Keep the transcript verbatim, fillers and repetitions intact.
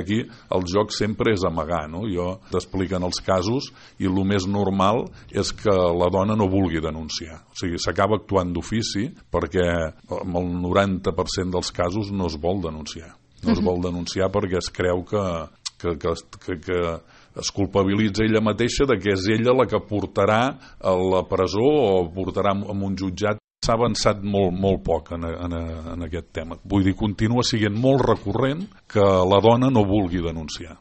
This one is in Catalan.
Aquí el joc sempre és amagar, no? Jo t'expliquen els casos i el més normal és que la dona no vulgui denunciar. O sigui, s'acaba actuant d'ofici perquè en el noranta per cent dels casos no es vol denunciar. No es vol denunciar perquè es creu que, que, que, que, que es culpabilitza ella mateixa de que és ella la que portarà a la presó o portarà en un jutjat. S'ha avançat molt, molt poc en, en, en aquest tema. Vull dir, continua sent molt recurrent que la dona no vulgui denunciar.